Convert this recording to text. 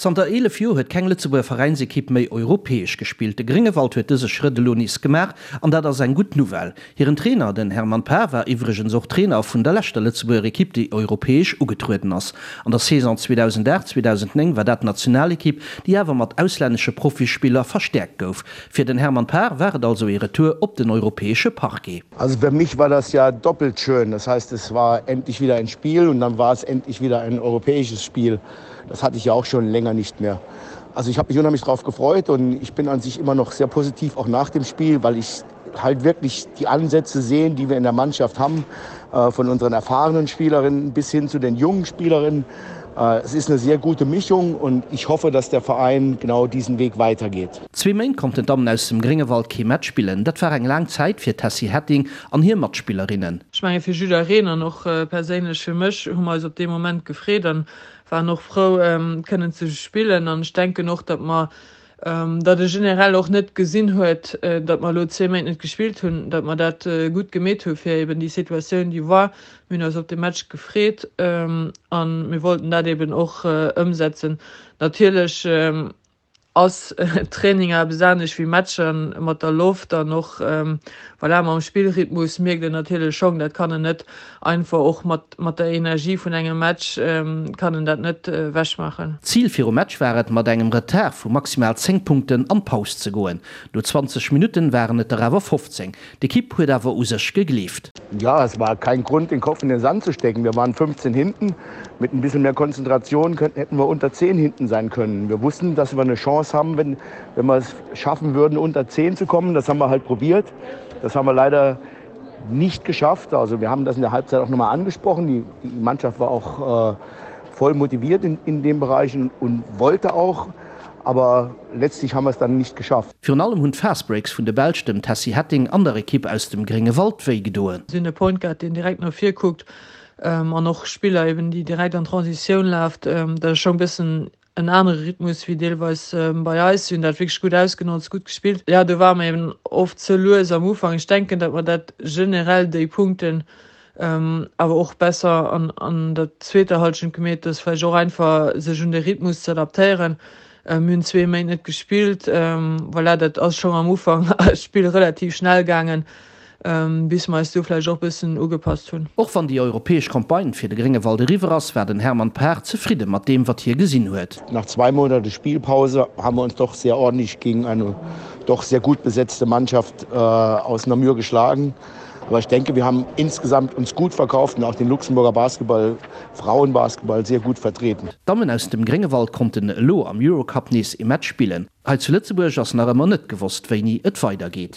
Zanter 11 Joer huet keng Lëtzebuerger Veräinsekipp méi europäesch gespillt. De Gréngewald huet dëse Schrëtt elo nees gemaach an dat ass eng gutt Nouvelle. Hiren Trainer, den Hermann Paar, war iwwregens och Trainer vun der leschter Lëtzebuerger Ekipp, déi europäesch ugetrueden ass. An der Saison 2008, 2009 war dat d'Nationalekipp, déi awer mat auslännesche Profispiller verstäerkt gouf. Fir den Hermann Paar war et also ee Retour op den europäesche Parquet. Also für mich war das ja doppelt schön. Das heißt, es war endlich wieder ein Spiel und dann war es endlich wieder ein europäisches Spiel. Das hatte ich ja auch schon länger nicht mehr. Also ich habe mich unheimlich darauf gefreut und ich bin an sich immer noch sehr positiv auch nach dem Spiel, weil ich halt wirklich die Ansätze sehen, die wir in der Mannschaft haben, äh, von unseren erfahrenen Spielerinnen bis hin zu den jungen Spielerinnen. Äh, es ist eine sehr gute Mischung und ich hoffe, dass der Verein genau diesen Weg weitergeht. Zwee Méint konnten d'Dammen aus dem Gréngewald kee Match spillen. Dat war eng laang Zäit fir d'Tessy Hetting an hir Matspillerinnen. Ech menge fir jiddereen an och perséinlech fir mech hu mer eis op dee Moment gefreet an waren och frou kënnen ze spillen an ech denken och, datt mer, datt e generell och net gesinn huet, datt mer elo zwee Méint net gespillt hunn, datt mer dat gutt gemeet hu fir eben déi Situatioun déi war. Mir hunn eis op de Match gefreet a mir wollten dat eben och ëmsetzen. Natierlech ass Training eppes anescht wéi Matcher mat der Loft an och voilà, mam Spillrhythmus mierkt een natierlech schonn, dat kann en net einfach och mat mat der Energie vun engem Match kann en dat net wechmaachen. Zil virum Match war et, mat engem Retard vu maximal 10 Punkten an d'Paus ze goen. No 20 Minutten waren et der awer 15. D'Ekipp huet awer u sech gegleeft. Ja, es war kein Grund, den Kopf in den Sand zu stecken. Wir waren 15 hinten. Mit ein bisschen mehr Konzentration könnten, hätten wir unter 10 hinten sein können. Wir wussten, dass wir eine Chance haben, wenn, wenn wir es schaffen würden, unter 10 zu kommen. Das haben wir halt probiert. Das haben wir leider nicht geschafft. Also wir haben das in der Halbzeit auch noch mal angesprochen. Die, die Mannschaft war auch äh, voll motiviert in, in dem Bereich und, und wollte auch. Aber letztlich haben wir es dann nicht geschafft. Virun allem hunn d'Fastbreaks vun de Belsch dem Tessy Hetting an der Ekipp aus dem Gréngewald wéi gedoen. Si hunn e Point Guard, deen direkt no vir kuckt an och Spiller eben, déi direkt an d'Transitioun laft. Dat ass scho e bëssen en anere Rhythmus wéi deelweis bei eis. Si hunn dat wierklech gutt ausgenotzt, gutt gespillt. Jo, do ware mer eben oft ze lues am Ufank. Ech denken, datt mer dat generell déi Punkten awer och besser an an der zweeter Hallschent gemeet, dass vläicht och einfach sech un de Rhythmus ze adaptéieren. Mir hunn zwee Méint net gespillt, voilà, dat ass schonn am Ufank d'Spill relativ schnell gaangen, bis mer eis do vläicht och bëssen ugepasst hunn. Och wann déi europäesch Campagne fir de Gréngewald eriwwer ass, war den Hermann Paar zefridde mat deem, wat hie gesinn huet. Nach zwei Monate Spielpause haben wir uns doch sehr ordentlich gegen eine doch sehr gut besetzte Mannschaft aus Namur geschlagen. Aber ich denke, wir haben insgesamt uns gut verkauft und auch den Luxemburger Basketball, Frauenbasketball sehr gut vertreten. D'Dammen aus dem Gréngewald konnten elo am Eurocup nees ee Match spillen. Hei zu Lëtzebuerg ass nach ëmmer net gewosst wéini et weider geet.